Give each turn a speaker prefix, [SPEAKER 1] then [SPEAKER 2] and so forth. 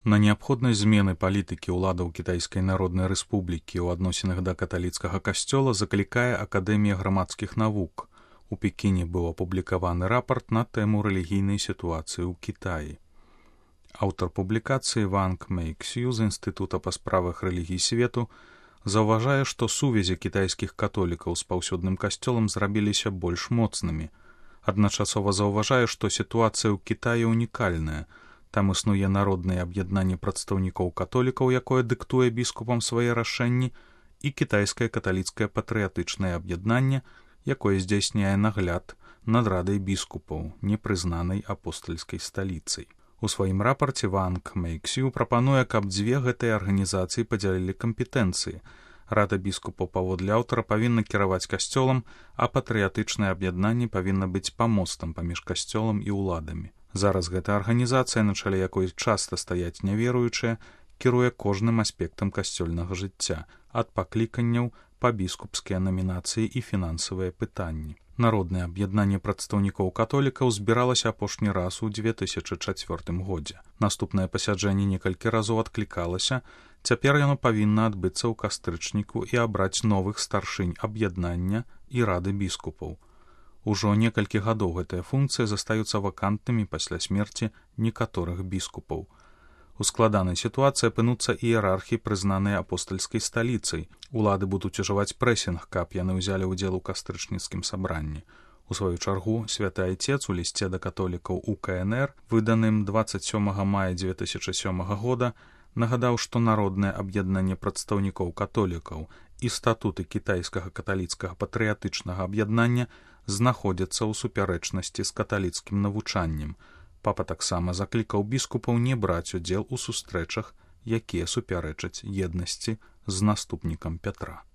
[SPEAKER 1] На неабходнасць змены палітыкі ўладаў Кітайскай Народнай Рэспублікі ў адносінах да каталіцкага касцёла заклікае Акадэмія грамадскіх навук. У Пекіне быў апублікаваны рапарт на тэму рэлігійнай сітуацыі ў Кітаі. Аўтар публікацыі Ванг Мэйксю з Інстытута па справах рэлігій свету заўважае, што сувязі кітайскіх католікаў з паўсюдным касцёлам зрабіліся больш моцнымі. Адначасова заўважае, што сітуацыя ў Кітаі ўнікальная. Там існуе народнае аб'яднанне прадстаўнікоў католікаў, якое дыктуе біскупам свае рашэнні, і кітайскае каталіцкае патрыятычнае аб'яднанне, якое здзяйсняе нагляд над радай біскупаў, непрызнанай апостальскай сталіцай. У сваім рапарце Ванг Мэйксю прапануе, каб дзве гэтыя арганізацыі падзялілі кампетэнцыі. Рада біскупаў паводле аўтара павінна кіраваць касцёлам, а патрыятычнае аб'яднанне павінна быць памостам паміж касцёлам і ўладамі. Зараз гэта арганізацыя, на чале якой часта стаяць няверуючыя, кіруе кожным аспектам касцёльнага жыцця, ад пакліканняў па біскупскія намінацыі і фінансавыя пытанні. Народнае аб'яднанне прадстаўнікоў католікаў збіралася апошні раз у 2004 годзе. Наступнае пасяджэнне некалькі разоў адклікалася, цяпер яно павінна адбыцца ў кастрычніку і абраць новых старшынь аб'яднання і рады біскупаў. Ужо некалькі гадоў гэтыя функцыі застаюцца вакантнымі пасля смерці некаторых біскупаў. У складанай сітуацыі апынуцца іерархі, прызнаныя апостальскай сталіцай. Улады будуць ужываць прэсінг, каб яны ўзялі ўдзел у кастрычніцкім сабранні. У сваю чаргу, святы айцец у лісце да католікаў УКНР, выданым 27 мая 2007 года, нагадаў, што народнае аб'яднанне прадстаўнікоў католікаў і статуты кітайскага каталіцкага патрыятычнага аб'яднання знаходзяцца ў супярэчнасці з каталіцкім навучаннем. Папа таксама заклікаў біскупаў не браць удзел у сустрэчах, якія супярэчаць еднасці з наступнікам Пятра.